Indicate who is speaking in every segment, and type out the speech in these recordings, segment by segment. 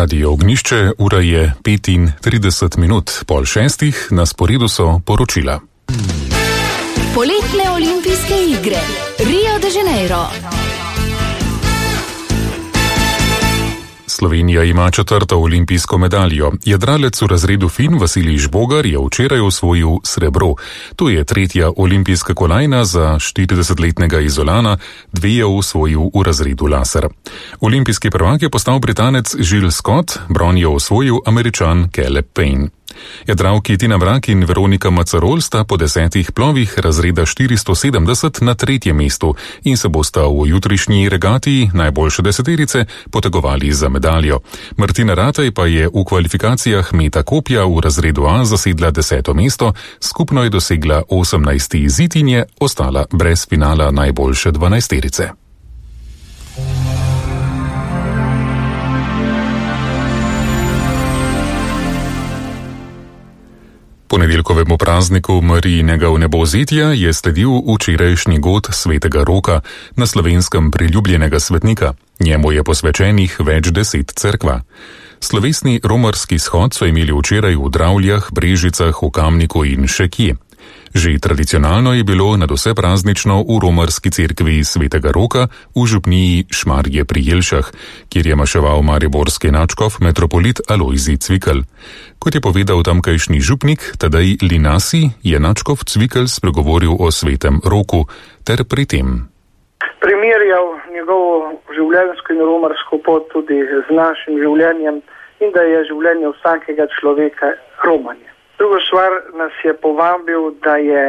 Speaker 1: Radio Ognjišče, ura je 35 minut, 5:30, na sporedu so poročila.
Speaker 2: Poletne olimpijske igre, Rio de Janeiro.
Speaker 1: Slovenija ima 4. olimpijsko medaljo. Jadralec v razredu Fin Vasilij Žbogar je včeraj osvojil srebro. To je 3. olimpijska kolajna za 40-letnega Izolana, 2 je osvojil v razredu laser. Olimpijski prvak je postal Britanec Jill Scott, bron je osvojil Američan Caleb Payne. Jadralki Tina Mrak in Veronika Macarol sta po 10 plovih razreda 470 na 3. mestu in se bosta v jutrišnji regati najboljše deseterice potegovali za medaljo. Martina Ratej pa je v kvalifikacijah meta kopja v razredu A zasedla 10. mesto, skupno je dosegla 18. izid in je ostala brez finala najboljše 12-terice. Ponedeljkovemu prazniku Marijinega vnebovzetja je sledil včerajšnji god svetega Roka, na Slovenskem priljubljenega svetnika. Njemu je posvečenih več 10 cerkva. Slovesni romarski shod so imeli včeraj v Dravljah, Brežicah, v Kamniku in še kje. Že tradicionalno je bilo nadvse praznično v romarski cerkvi svetega Roka v župniji Šmarje pri Jelšah, kjer je maševal mariborski nadškof metropolit Alojzij Cvikl. Kot je povedal tamkajšnji župnik Tadej Linasi, je nadškof Cvikl spregovoril o svetem Roku ter pri tem
Speaker 3: primerjal njegovo življenjsko in romarsko pot tudi z našim življenjem in da je življenje vsakega človeka romanje. Drugo stvar, nas je povabil, da je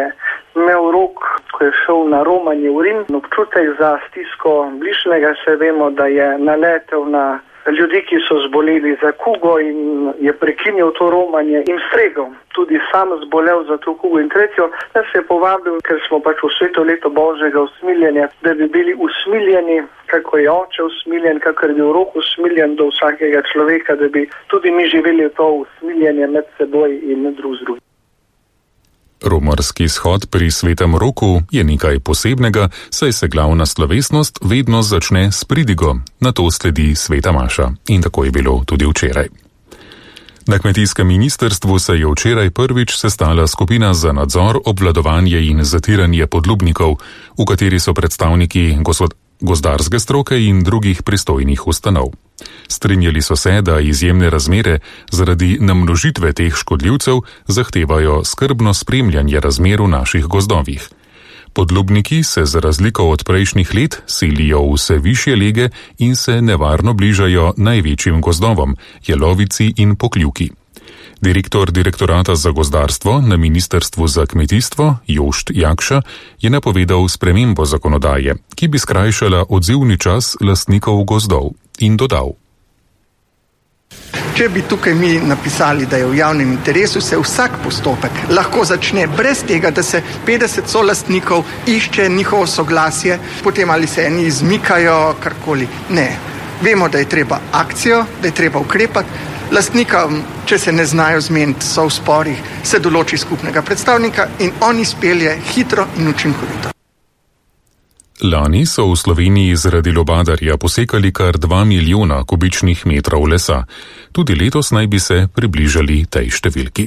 Speaker 3: imel Rok, ko je šel na romanje v Rim, občutek za stisko bližnjega, se vemo, da je naletel na ljudi, ki so zboleli za kugo in je prekinil to romanje in stregel. Tudi sam zbolel za to kugo. In tretjo, nas je povabil, ker smo pač v sveto leto Božjega usmiljenja, da bi bili usmiljeni, kako je oče usmiljen, kako je bil Rok usmiljen do vsakega človeka, da bi tudi mi živeli to usmiljenje med seboj in drug z drugim.
Speaker 1: Romarski shod pri svetem Roku je nekaj posebnega, saj se glavna slovesnost vedno začne s pridigo, nato sledi sveta maša. In tako je bilo tudi včeraj. Na kmetijskem ministrstvu se je včeraj prvič sestala skupina za nadzor, obvladovanje in zatiranje podlubnikov, v kateri so predstavniki gozdarske stroke in drugih pristojnih ustanov. Strinjali so se, da izjemne razmere zaradi namnožitve teh škodljivcev zahtevajo skrbno spremljanje razmer v naših gozdovih. Podlubniki se za razliko od prejšnjih let selijo v vse višje lege in se nevarno bližajo največjim gozdovom, jelovici in pokljuki. Direktor direktorata za gozdarstvo na Ministrstvu za kmetijstvo, Jošt Jakša, je napovedal spremembo zakonodaje, ki bi skrajšala odzivni čas lastnikov gozdov, in dodal:
Speaker 4: Če bi tukaj mi napisali, da je v javnem interesu, se vsak postopek lahko začne brez tega, da se 50 solastnikov išče njihovo soglasje, potem ali se eni izmikajo, karkoli. Ne. Vemo, da je treba akcijo, da je treba ukrepati. Lastnikom, če se ne znajo zmeniti, so v sporih, se določi skupnega predstavnika in on izpelje hitro in učinkovito.
Speaker 1: Lani so v Sloveniji zaradi lubadarja posekali kar 2 milijona kubičnih metrov lesa. Tudi letos naj bi se približali tej številki.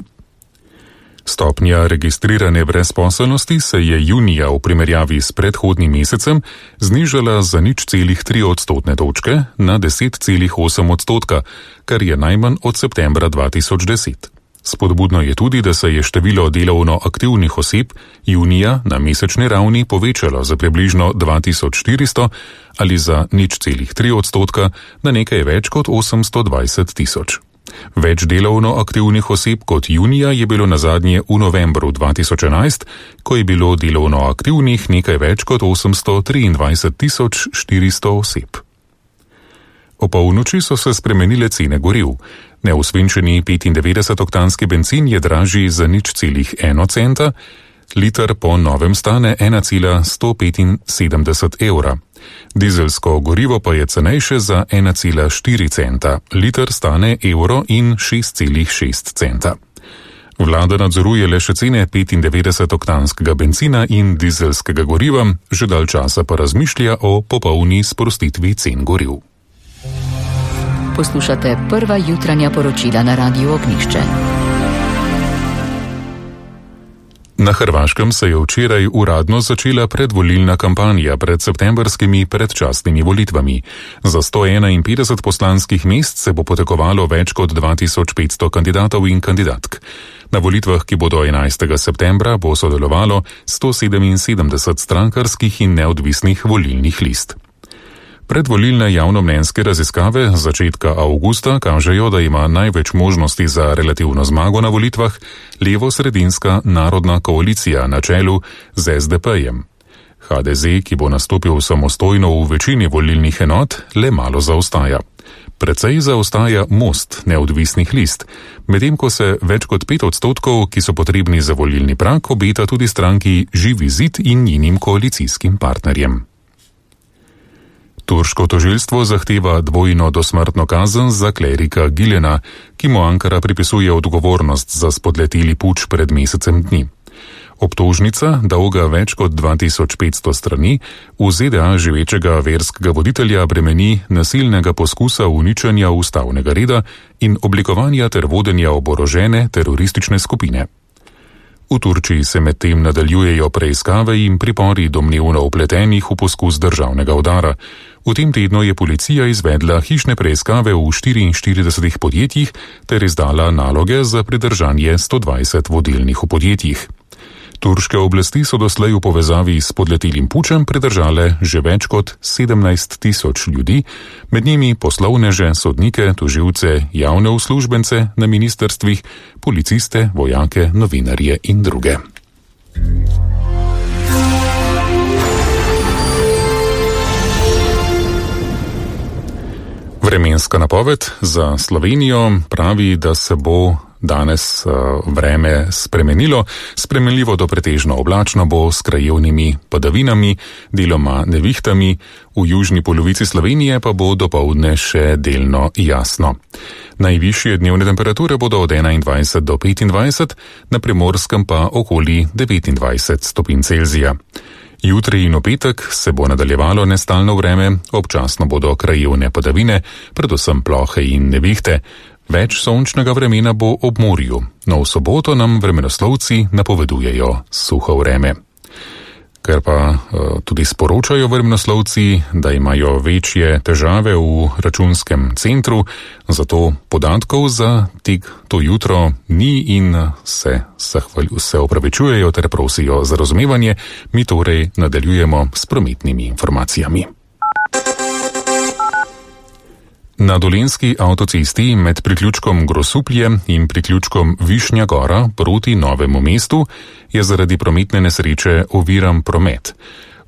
Speaker 1: Stopnja registrirane brezposelnosti se je junija v primerjavi s predhodnim mesecem znižala za 0,3 odstotne točke na 10,8 odstotka, kar je najmanj od septembra 2010. Spodbudno je tudi, da se je število delovno aktivnih oseb junija na mesečni ravni povečalo za približno 2400 ali za 0,3 odstotka na nekaj več kot 820 tisoč. Več delovno aktivnih oseb kot junija je bilo nazadnje v novembru 2011, ko je bilo delovno aktivnih nekaj več kot 823 400 oseb. O polnoči so se spremenile cene goriv. Neosvinčeni 95-oktanski bencin je dražji za 0,1 centa, liter po novem stane 1,175 evra. Dizelsko gorivo pa je cenejše za 1,4 centa, liter stane evro in 6,6 centa. Vlada nadzoruje le še cene 95-oktanskega bencina in dizelskega goriva, že dalj časa pa razmišlja o popolni sprostitvi cen goriv.
Speaker 2: Poslušate prva jutranja poročila na Radiu Ognjišče.
Speaker 1: Na Hrvaškem se je včeraj uradno začela predvolilna kampanja pred septembrskimi predčasnimi volitvami. Za 151 poslanskih mest se bo potekovalo več kot 2500 kandidatov in kandidatk. Na volitvah, ki bodo 11. septembra, bo sodelovalo 177 strankarskih in neodvisnih volilnih list. Predvolilne javnomnenjske raziskave z začetka avgusta kažejo, da ima največ možnosti za relativno zmago na volitvah levo-sredinska narodna koalicija na čelu z SDP-jem. HDZ, ki bo nastopil samostojno v večini volilnih enot, le malo zaostaja. Precej zaostaja Most neodvisnih list, medtem ko se več kot 5%, ki so potrebni za volilni prag, obeta tudi stranki Živi zid in njenim koalicijskim partnerjem. Turško tožilstvo zahteva dvojno dosmrtno kazen za klerika Gilena, ki mu Ankara pripisuje odgovornost za spodleteli puč pred mesecem dni. Obtožnica, dolga več kot 2500 strani, v ZDA živečega verskega voditelja bremeni nasilnega poskusa uničenja ustavnega reda in oblikovanja ter vodenja oborožene teroristične skupine. V Turčiji se medtem nadaljujejo preiskave in pripori domnevno vpletenih v poskus državnega udara. V tem tednu je policija izvedla hišne preiskave v 44 podjetjih ter izdala naloge za pridržanje 120 vodilnih v podjetjih. Turške oblasti so doslej v povezavi s spodletelim pučem pridržale že več kot 17 000 ljudi, med njimi poslovneže, sodnike, tožilce, javne uslužbence na ministrstvih, policiste, vojake, novinarje in druge. Vremenska napoved za Slovenijo pravi, da se bo danes vreme spremenilo. Spremenljivo do pretežno oblačno bo s krajevnimi padavinami, deloma nevihtami, v južni polovici Slovenije pa bo dopoldne še delno jasno. Najvišje dnevne temperature bodo od 21 do 25, na Primorskem pa okoli 29 stopinj Celzija. Jutri in v petek se bo nadaljevalo nestalno vreme, občasno bodo krajevne padavine, predvsem plohe in nevihte. Več sončnega vremena bo ob morju, no v soboto nam vremenoslovci napovedujejo suho vreme. Ker pa tudi sporočajo vremenoslovci, da imajo večje težave v računskem centru, zato podatkov za to jutro ni in se opravičujejo ter prosijo za razumevanje, mi torej nadaljujemo s prometnimi informacijami. Na Dolenjski avtocesti med priključkom Grosuplje in priključkom Višnja Gora proti Novemu mestu je zaradi prometne nesreče oviran promet.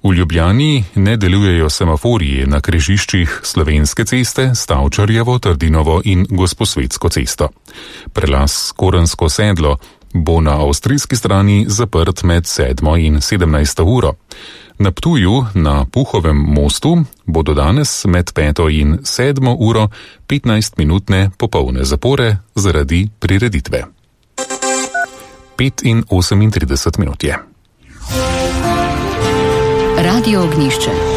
Speaker 1: V Ljubljani ne delujejo semaforiji na križiščih Slovenske ceste, Stavčarjevo, Trdinovo in Gosposvetsko cesto. Prelaz Korensko sedlo bo na avstrijski strani zaprt med 7. in 17. uro. Na Ptuju na Puhovem mostu bodo danes med 5. in 7. uro 15-minutne popolne zapore zaradi prireditve. 5 in 38 minut je.
Speaker 2: Radio Ognjišče.